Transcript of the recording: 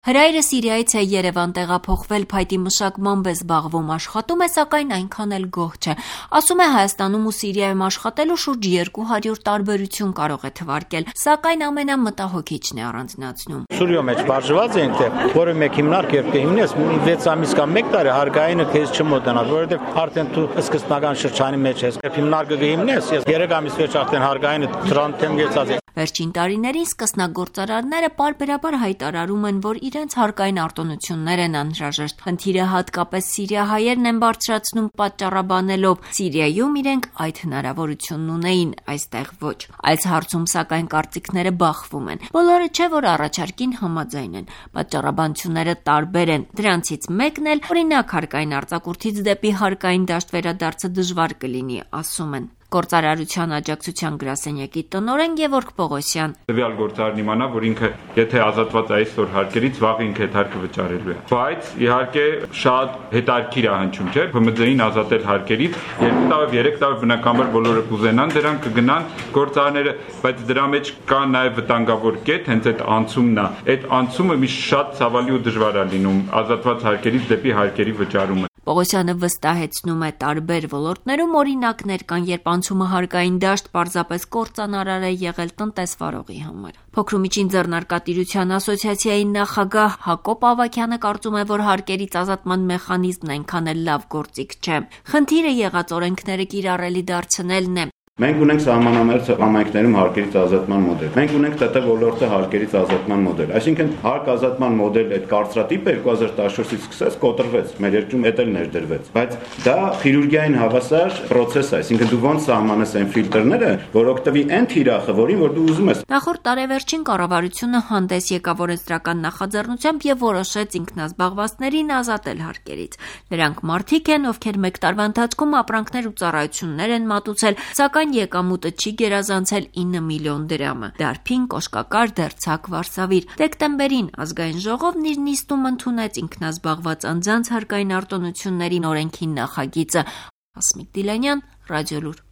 Հրայրը Սիրիայից է Երևան տեղափոխվել, փայտի մշակմամբ է զբաղվում, աշխատում է, սակայն այնքան էլ գոհ չէ։ Ասում է Հայաստանում ու Սիրիայում աշխատելու շուրջ 200 տարբերություն կարող է թվարկել, սակայն ամենամտահոգիչն է առանձնացնում։ Սուրիո մեջ բաժված ենք, որը մեկ հիմնարկ երբ կհիմնես, 6 ամիս կամ 1 տարի հարգայինը քեզ չմոտենա, որովհետև արդեն դու սկզբնական շրջանի մեջ ես։ Երբ հիմնարկը կհիմնես, ես 3 ամիս վերջ արդեն հարգայինը դրանտեմ գեցած է։ Վերջին տարիներին սկսնագործարարները պարբերաբար հայտարարում են, որ իրենց հարկային արտոնություններ են անհրաժեշտ։ Խնդիրը հատկապես սիրիահայերն են բարձրացնում պատճառաբանելով, Սիրիայում իրենք այդ հնարավորությունն ունեին, այստեղ ոչ։ Այս հարցում սակայն կարծիքները բախվում են։ Բոլորը չէ, որ առաջարկին համաձայն են։ Պատճառաբանությունները տարբեր են։ Դրանցից մեկն էլ, օրինակ, հարկային արձակուրդից դեպի հարկային դաշտ վերադարձը դժվար կլինի, ասում են։ Գործարարության աջակցության գրասենյակի տնօրեն Գևորգ Պողոսյան. Տվյալ գործարարն իմանա, որ ինքը եթե ազատված այսօր հարկերից, վաղ ինքը այդ հարկը վճարելու է։ Բայց իհարկե շատ հետաքրքիր է հնչում, չէ՞, ԲՄՁ-ին ազատել հարկերից, 2 տարի, 3 տարի բնականաբար բոլորը կուզենան դրան, կգնան գործարարները, բայց դրա մեջ կա նաև վտանգավոր կետ, հենց այդ անցումն է։ Այդ անցումը միշտ շատ ցավալի ու դժվար է լինում ազատված հարկերից դեպի հարկերի վճարումը։ Պողոսյանը վստահեցնում է տարբեր ոլորտներում օրինակներ կան, երբ անցումը հարկային դաշտ պարզապես կործանարար է եղել տնտեսվարողի համար։ Փոքրումիջին ձեռնարկատիրության ասոցիացիայի նախագահ Հակոբ Ավագյանը կարծում է, որ հարկերից ազատման մեխանիզմն այնքան էլ լավ գործիք չէ։ Խնդիրը եղած օրենքները կիրառելի դարձնելն է։ Մենք ունենք սահմանամերձ համայնքներում հարկերից ազատման մոդել։ Մենք ունենք ՏՏ ոլորտը հարկերից ազատման մոդել։ Այսինքն հարկ ազատման մոդել այդ կարծրատիպը 2014-ից սկսած կոտրվեց, մեր երկրում էդ էլ ներդրվեց։ Բայց դա խիրուրգիային հավասար process է, այսինքն դու ոնց սահմանես այն ֆիլտրները, որ օգտվի այն թիրախը, որին որ դու ուզում ես։ Նախորդ տարեվերջին կառավարությունը հանդես եկավ օրենսդրական նախաձեռնությամբ եւ որոշեց ինքնազբաղվածներին ազատել հարկերից։ Նրանք մարդիկ են, ովքեր 1 տարվա ընթացքում ապրանքներ ու ծառայություններ են մատուցել, սակայն եկամուտը չի գերազանցել 9 միլիոն դրամը։ Դարբին, կոշկակար, դերձակ, վարսավիր։ Դեկտեմբերին ազգային ժողովն իր նիստում ընդունեց ինքնազբաղված անձանց հարկային արտոնությունների օրենքի նախագիծը։ Ասմիկ Դիլանյան, Ռադիոլուր։